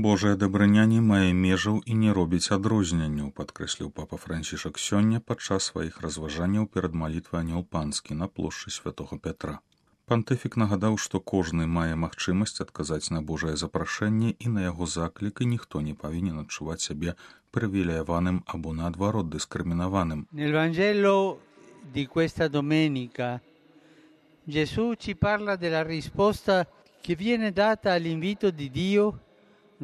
Божая дабрыня не мае межаў і не робіць адрозненняў, падкрэсліў папа Францішак сёння падчас сваіх разважанняў перад малітвай Анёл Панскі на плошчы святого Пятра. Пантыфік нагадаў, што кожны мае магчымасць адказаць на Божае запрашэнне і на яго заклік, і ніхто не павінен адчуваць сябе прывілеяваным або наадварот дыскрымінаваным. Nel Vangelo di questa domenica Gesù ci parla della risposta che viene data all'invito di Dio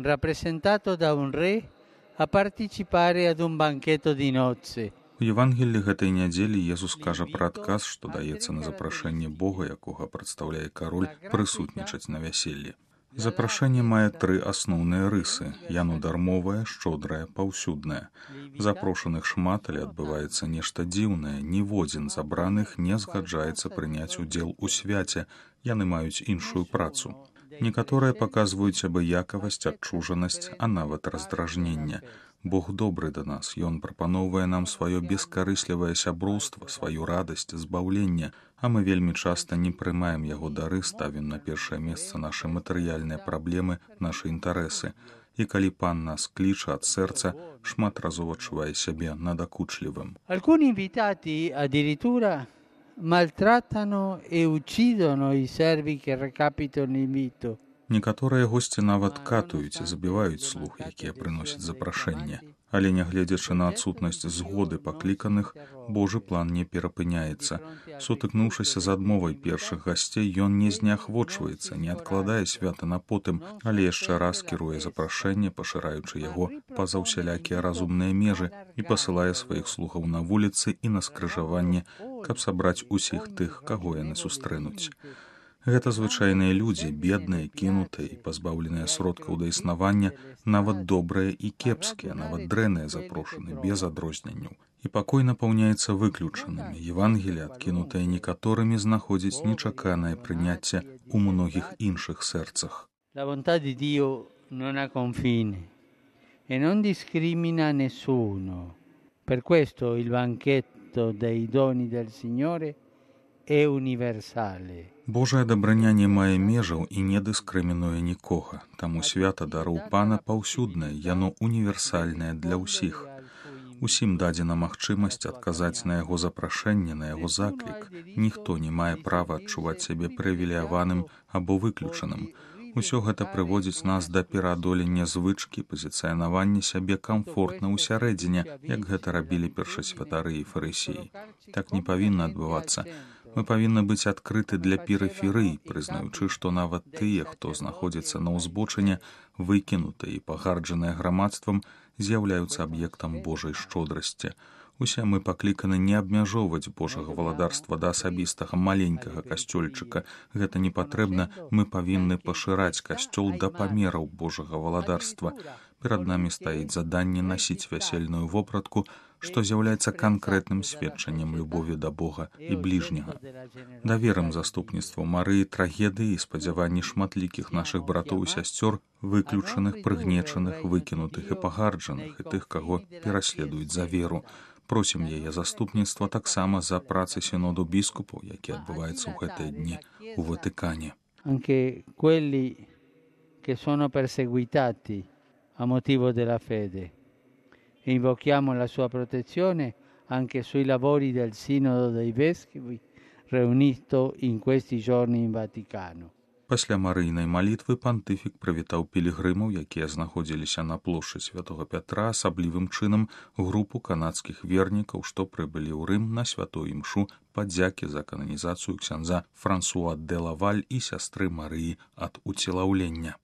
rappresentato da un re a partecipare ad un banchetto di nozze. У Євангеллі гэтай нядзелі Езус кажа пра адказ, што даецца на запрашэнне Бога, якога прадстаўляе кароль, прысутнічаць на вяселлі. Запрашэнне мае тры асноўныя рысы. Яно дармовае, шчодрае, паўсюднае. Запрошаных шмат, але адбываецца нешта дзіўнае. Ніводзін з абраных не згаджаецца прыняць удзел у свяце. Яны маюць іншую працу. Некаторыя паказваюць абыякавасць, адчужанасць, а нават раздражненне. Бог добры да нас, Ён прапаноўвае нам сваё бескарыслівае сяброўства, сваю радасць, збаўленне, а мы вельмі часта не прымаем яго дары, ставім на першае месца нашы матэрыяльныя праблемы, нашы інтарэсы. І калі Пан нас кліча ад сэрца, шмат разоў адчувае сябе надакучлівым. Alcuni invitati addirittura maltrattano e uccidono i servi che recapitano l'invito. Некаторыя госці нават катуюць і забіваюць слуг, якія прыносяць запрашэнне. Але нягледзячы на адсутнасць згоды пакліканых, Божы план не перапыняецца. Сутыкнуўшыся з адмовай першых гасцей, ён не зняхвочваецца, не адкладае свята на потым, але яшчэ раз кіруе запрашэнне, пашыраючы яго па-за ўсялякія разумныя межы, і пасылае сваіх слугаў на вуліцы і на скрыжаванне, каб сабраць усіх тых, каго яны сустрэнуць. Гэта звычайныя людзі, бедныя, кінутыя і пазбаўленыя сродкаў да існавання, нават добрыя і кепскія, нават дрэнныя запрошаны, без адрозненняў. І пакой напаўняецца выключанымі. Евангелие, адкінутае некаторымі, знаходзіць нечаканае прыняцце ў многіх іншых сэрцах. La bontà di Dio non ha confine e non discrimina nessuno. Per questo il banchetto dei doni del Signore è universale. Божая дабраня не мае межаў і не дыскрымінуе нікога. Таму свята дароў Пана паўсюднае, яно універсальнае для ўсіх. Усім дадзена магчымасць адказаць на яго запрашэнне, на яго заклік. Ніхто не мае права адчуваць сябе прывілеяваным або выключаным. Усё гэта прыводзіць нас да пераадолення звычкі, пазіцыянавання сябе камфортна ўсярэдзіне, як гэта рабілі першасвятары і фарысеі. Так не павінна адбывацца. Мы павінны быць адкрыты для перыферыі, прызнаючы, што нават тыя, хто знаходзіцца на ўзбочыне, выкінутыя і пагарджаныя грамадствам, з'яўляюцца аб'ектам Божай шчодрасці. Усе мы пакліканы не абмяжоўваць Божага валадарства да асабістага маленькага касцёльчыка. Гэта не патрэбна, мы павінны пашыраць касцёл да памераў Божага валадарства. Перад намі стаіць заданне насіць вясельную вопратку, што з'яўляецца канкрэтным сведчаннем любові да Бога і бліжняга. Даверым заступніцтву Марыі трагедыі і спадзяванні шматлікіх нашых братоў і сясцёр, выключаных, прыгнечаных, выкінутых і пагарджаных, і тых, каго пераследуюць за веру. Просім яе заступніцтва таксама за працы сіноду біскупаў, які адбываецца ў гэтыя дні ў Ватыкане. Anche quelli che sono perseguitati a motivo della fede. E invochiamo la sua protezione anche sui lavori del Sinodo dei Vescovi riunito in questi giorni in Vaticano. Пасля марыйнай малітвы пантыфік прывітаў пілігрымаў, якія знаходзіліся на плошчы святого Пятра, асаблівым чынам групу канадскіх вернікаў, што прыбылі ў Рым на святую імшу падзякі за кананізацыю ксяндза Франсуа де Лаваль і сястры Марыі ад уцелаўлення.